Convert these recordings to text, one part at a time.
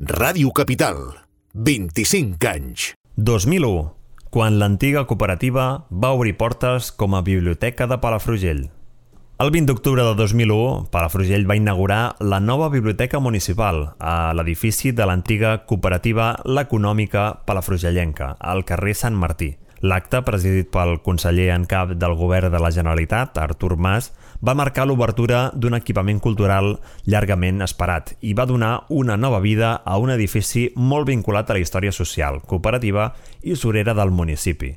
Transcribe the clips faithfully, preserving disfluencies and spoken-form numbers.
Ràdio Capital, vint-i-cinc anys. dos mil u, quan l'antiga cooperativa va obrir portes com a biblioteca de Palafrugell. El vint d'octubre de dos mil u, Palafrugell va inaugurar la nova biblioteca municipal a l'edifici de l'antiga cooperativa l'Econòmica Palafrugellenca, al carrer Sant Martí. L'acte, presidit pel conseller en cap del govern de la Generalitat, Artur Mas, va marcar l'obertura d'un equipament cultural llargament esperat i va donar una nova vida a un edifici molt vinculat a la història social, cooperativa i usurera del municipi.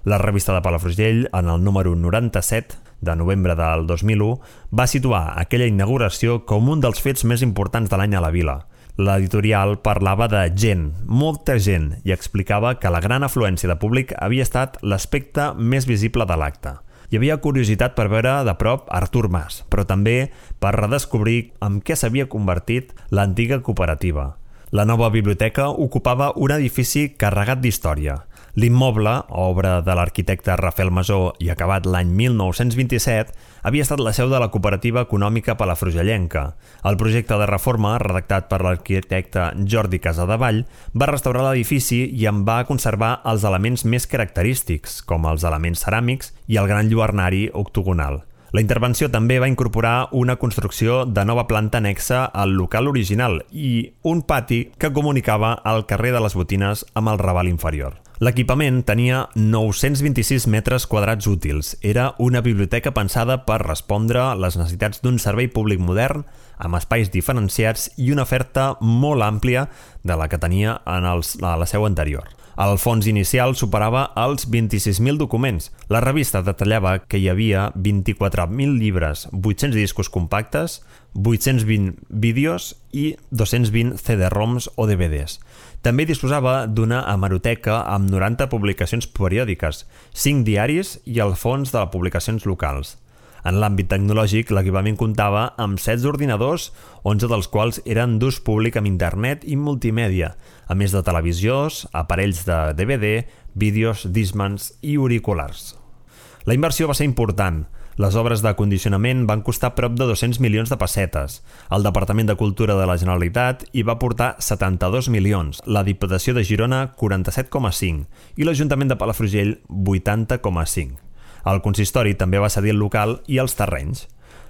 La revista de Palafrugell, en el número noranta-set de novembre del dos mil u, va situar aquella inauguració com un dels fets més importants de l'any a la vila. L'editorial parlava de gent, molta gent, i explicava que la gran afluència de públic havia estat l'aspecte més visible de l'acte. Hi havia curiositat per veure de prop Artur Mas, però també per redescobrir en què s'havia convertit l'antiga cooperativa. La nova biblioteca ocupava un edifici carregat d'història. L'immoble, obra de l'arquitecte Rafael Masó i acabat l'any mil nou-cents vint-i-set, havia estat la seu de la cooperativa econòmica palafrugellenca. El projecte de reforma, redactat per l'arquitecte Jordi Casadevall, va restaurar l'edifici i en va conservar els elements més característics, com els elements ceràmics i el gran lluernari octogonal. La intervenció també va incorporar una construcció de nova planta anexa al local original i un pati que comunicava el carrer de les Botines amb el Raval inferior. L'equipament tenia nou-cents vint-i-sis metres quadrats útils. Era una biblioteca pensada per respondre a les necessitats d'un servei públic modern, amb espais diferenciats i una oferta molt àmplia de la que tenia en els, a la seu anterior. El fons inicial superava els vint-i-sis mil documents. La revista detallava que hi havia vint-i-quatre mil llibres, vuit-cents discos compactes, vuit-cents vint vídeos i dos-cents vint ce de roms o de ve des. També disposava d'una hemeroteca amb noranta publicacions periòdiques, cinc diaris i el fons de les publicacions locals. En l'àmbit tecnològic, l'equipament comptava amb setze ordinadors, onze dels quals eren d'ús públic amb internet i multimèdia, a més de televisions, aparells de de ve de, vídeos, discmans i auriculars. La inversió va ser important. Les obres de condicionament van costar prop de dos-cents milions de pessetes. El Departament de Cultura de la Generalitat hi va aportar setanta-dos milions, la Diputació de Girona quaranta-set coma cinc i l'Ajuntament de Palafrugell vuitanta coma cinc. El consistori també va cedir el local i els terrenys.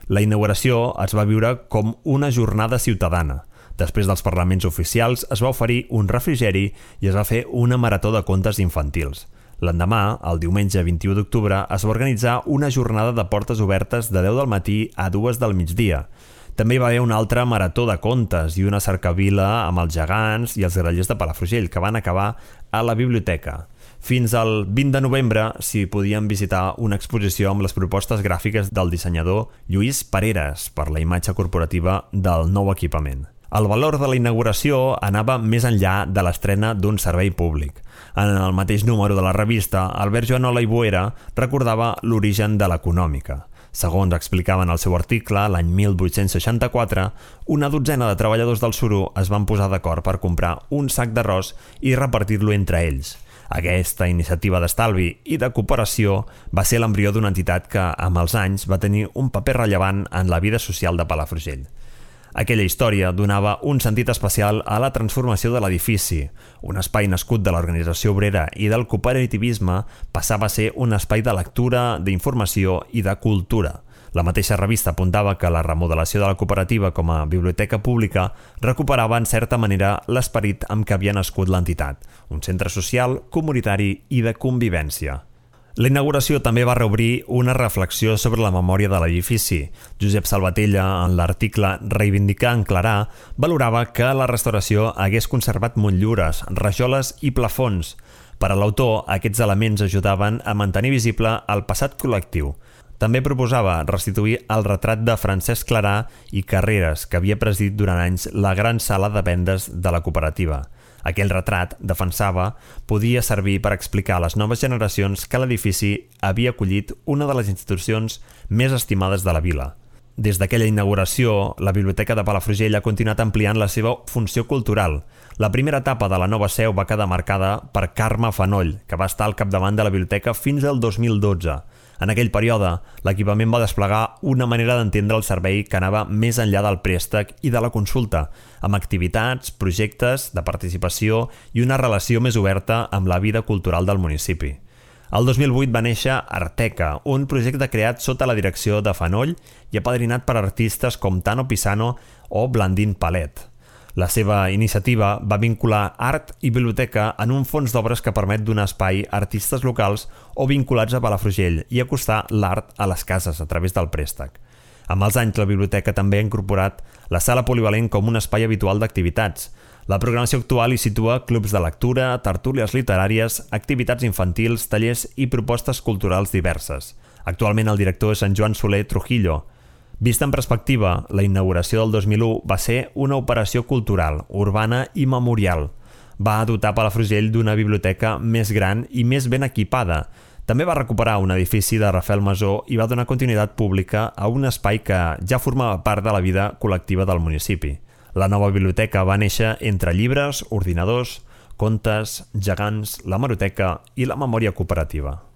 La inauguració es va viure com una jornada ciutadana. Després dels parlaments oficials es va oferir un refrigeri i es va fer una marató de contes infantils. L'endemà, el diumenge vint-i-u d'octubre, es va organitzar una jornada de portes obertes de deu del matí a dues del migdia. També hi va haver una altra marató de contes i una cercavila amb els gegants i els grallers de Palafrugell, que van acabar a la biblioteca. Fins al vint de novembre s'hi podien visitar una exposició amb les propostes gràfiques del dissenyador Lluís Pareras per la imatge corporativa del nou equipament. El valor de la inauguració anava més enllà de l'estrena d'un servei públic. En el mateix número de la revista, Albert Joanola i Boera recordava l'origen de l'Econòmica. Segons explicava en el seu article, l'any mil vuit-cents seixanta-quatre, una dotzena de treballadors del suro es van posar d'acord per comprar un sac d'arròs i repartir-lo entre ells. Aquesta iniciativa d'estalvi i de cooperació va ser l'embrió d'una entitat que, amb els anys, va tenir un paper rellevant en la vida social de Palafrugell. Aquella història donava un sentit especial a la transformació de l'edifici. Un espai nascut de l'organització obrera i del cooperativisme passava a ser un espai de lectura, d'informació i de cultura. La mateixa revista apuntava que la remodelació de la cooperativa com a biblioteca pública recuperava en certa manera l'esperit amb què havia nascut l'entitat, un centre social, comunitari i de convivència. La inauguració també va reobrir una reflexió sobre la memòria de l'edifici. Josep Salvatella, en l'article Reivindicar en Clarà, valorava que la restauració hagués conservat motllures, rajoles i plafons. Per a l'autor, aquests elements ajudaven a mantenir visible el passat col·lectiu. També proposava restituir el retrat de Francesc Clarà i Carreras, que havia presidit durant anys la gran sala de vendes de la cooperativa. Aquell retrat, defensava, podia servir per explicar a les noves generacions que l'edifici havia acollit una de les institucions més estimades de la vila. Des d'aquella inauguració, la Biblioteca de Palafrugell ha continuat ampliant la seva funció cultural. La primera etapa de la nova seu va quedar marcada per Carme Fanoll, que va estar al capdavant de la biblioteca fins al dos mil dotze. En aquell període, l'equipament va desplegar una manera d'entendre el servei que anava més enllà del préstec i de la consulta, amb activitats, projectes de participació i una relació més oberta amb la vida cultural del municipi. El dos mil vuit va néixer Arteca, un projecte creat sota la direcció de Fanoll i apadrinat per artistes com Tano Pisano o Blandín Palet. La seva iniciativa va vincular art i biblioteca en un fons d'obres que permet donar espai a artistes locals o vinculats a Palafrugell i acostar l'art a les cases a través del préstec. Amb els anys, la biblioteca també ha incorporat la sala polivalent com un espai habitual d'activitats. La programació actual hi situa clubs de lectura, tertúlies literàries, activitats infantils, tallers i propostes culturals diverses. Actualment el director és en Joan Soler Trujillo. Vista en perspectiva, la inauguració del dos mil u va ser una operació cultural, urbana i memorial. Va dotar Palafrugell d'una biblioteca més gran i més ben equipada. També va recuperar un edifici de Rafael Masó i va donar continuïtat pública a un espai que ja formava part de la vida col·lectiva del municipi. La nova biblioteca va néixer entre llibres, ordinadors, contes, gegants, la hemeroteca i la memòria cooperativa.